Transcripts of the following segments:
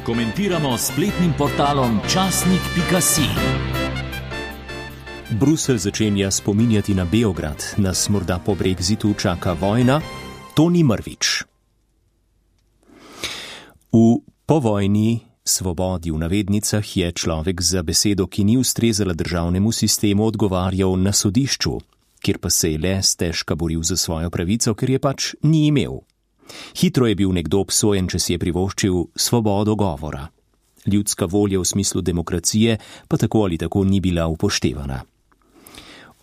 Komentiramo s spletnim portalom časnik.si. Bruselj začenja spominjati na Beograd, nas morda po brexitu čaka vojna. Toni Mrvič. V povojni svobodi v navednicah je človek za besedo, ki ni ustrezala državnemu sistemu, odgovarjal na sodišču, kjer pa se je le stežka boril za svojo pravico, ker je pač ni imel. Hitro je bil nekdo obsojen, če si je privoščil svobodo govora. Ljudska volja v smislu demokracije pa tako ali tako ni bila upoštevana.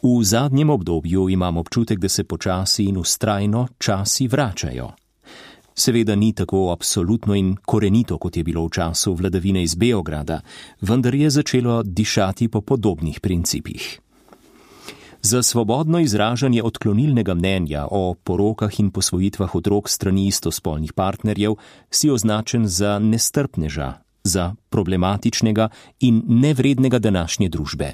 V zadnjem obdobju imam občutek, da se počasi in vztrajno časi vračajo. Seveda ni tako absolutno in korenito, kot je bilo v času vladavine iz Beograda, vendar je začelo dišati po podobnih principih. Za svobodno izražanje odklonilnega mnenja o porokah in posvojitvah otrok strani istospolnih partnerjev si označen za nestrpneža, za problematičnega in nevrednega današnje družbe.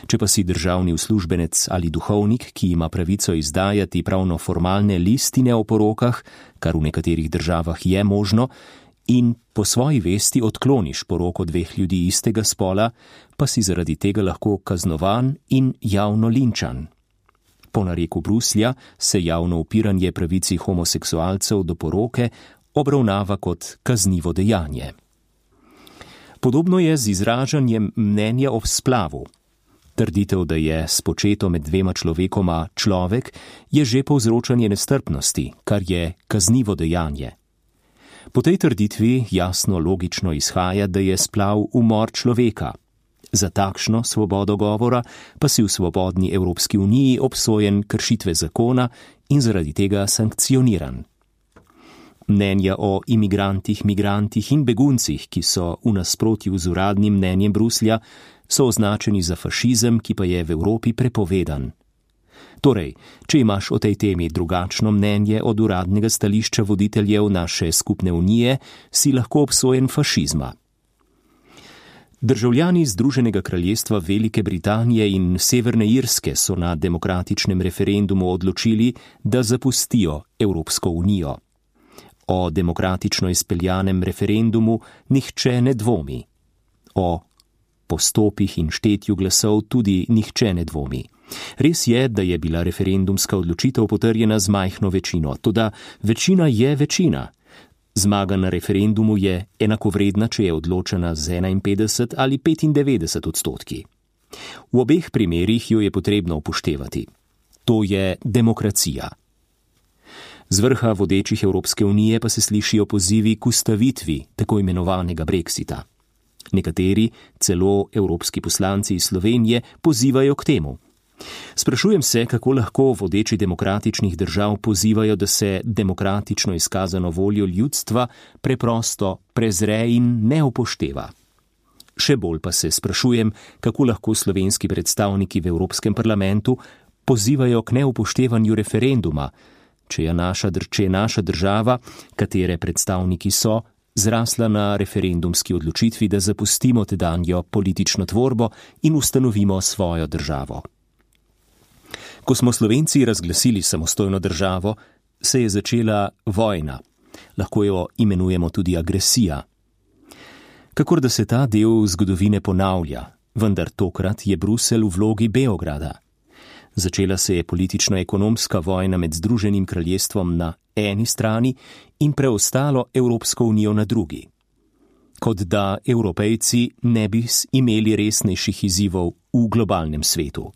Če pa si državni uslužbenec ali duhovnik, ki ima pravico izdajati pravno formalne listine o porokah, kar v nekaterih državah je možno, in po svoji vesti odkloniš poroko dveh ljudi istega spola, pa si zaradi tega lahko kaznovan in javno linčan. Po nareku Bruslja se javno upiranje pravici homoseksualcev do poroke obravnava kot kaznivo dejanje. Podobno je z izražanjem mnenja o splavu. Trditev, da je spočeto med dvema človekoma človek, je že povzročanje nestrpnosti, kar je kaznivo dejanje. Po tej trditvi jasno logično izhaja, da je splav umor človeka. Za takšno svobodo govora pa si v svobodni Evropski uniji obsojen kršitve zakona in zaradi tega sankcioniran. Mnenja o imigrantih, migrantih in beguncih, ki so v nasprotju z uradnim mnenjem Bruslja, so označeni za fašizem, ki pa je v Evropi prepovedan. Torej, če imaš o tej temi drugačno mnenje od uradnega stališča voditeljev naše skupne unije, si lahko obsojen fašizma. Državljani Združenega kraljestva Velike Britanije in Severne Irske so na demokratičnem referendumu odločili, da zapustijo Evropsko unijo. O demokratično izpeljanem referendumu nihče ne dvomi. O postopih in štetju glasov tudi nihče ne dvomi. Res je, da je bila referendumska odločitev potrjena z majhno večino, toda večina je večina. Zmaga na referendumu je enakovredna, če je odločena z 51 ali 95 odstotki. V obeh primerih jo je potrebno upoštevati. To je demokracija. Z vrha vodečih Evropske unije pa se slišijo pozivi k ustavitvi tako imenovanega Brexita. Nekateri, celo evropski poslanci iz Slovenije, pozivajo k temu. Sprašujem se, kako lahko vodeči demokratičnih držav pozivajo, da se demokratično izkazano voljo ljudstva preprosto prezre in ne upošteva. Še bolj pa se sprašujem, kako lahko slovenski predstavniki v Evropskem parlamentu pozivajo k neupoštevanju referenduma, če je naša država, katere predstavniki so, zrasla na referendumski odločitvi, da zapustimo tedanjo politično tvorbo in ustanovimo svojo državo. Ko smo Slovenci razglasili samostojno državo, se je začela vojna. Lahko jo imenujemo tudi agresija. Kakor da se ta del zgodovine ponavlja, vendar tokrat je Bruselj v vlogi Beograda. Začela se je politično-ekonomska vojna med Združenim kraljestvom na eni strani in preostalo Evropsko unijo na drugi. Kot da Evropejci ne bi imeli resnejših izzivov v globalnem svetu.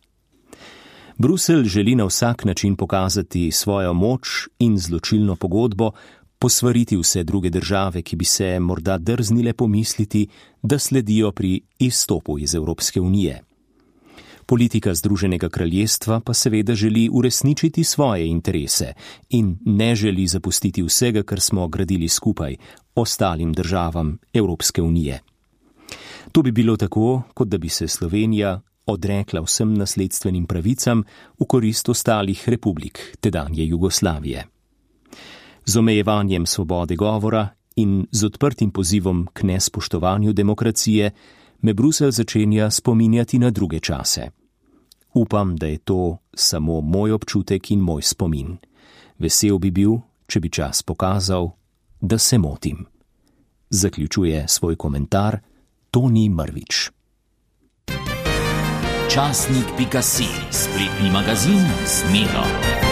Bruselj želi na vsak način pokazati svojo moč in zločilno pogodbo, posvariti vse druge države, ki bi se morda drznile pomisliti, da sledijo pri izstopu iz Evropske unije. Politika Združenega kraljestva pa seveda želi uresničiti svoje interese in ne želi zapustiti vsega, kar smo gradili skupaj, ostalim državam Evropske unije. To bi bilo tako, kot da bi se Slovenija odrekla vsem nasledstvenim pravicam v korist ostalih republik tedanje Jugoslavije. Z omejevanjem svobode govora in z odprtim pozivom k nespoštovanju demokracije me Bruselj začenja spominjati na druge čase. Upam, da je to samo moj občutek in moj spomin. Vesel bi bil, če bi čas pokazal, da se motim. zaključuje svoj komentar Toni Mrvič. Časnik.si, spletni magazin Zmedo.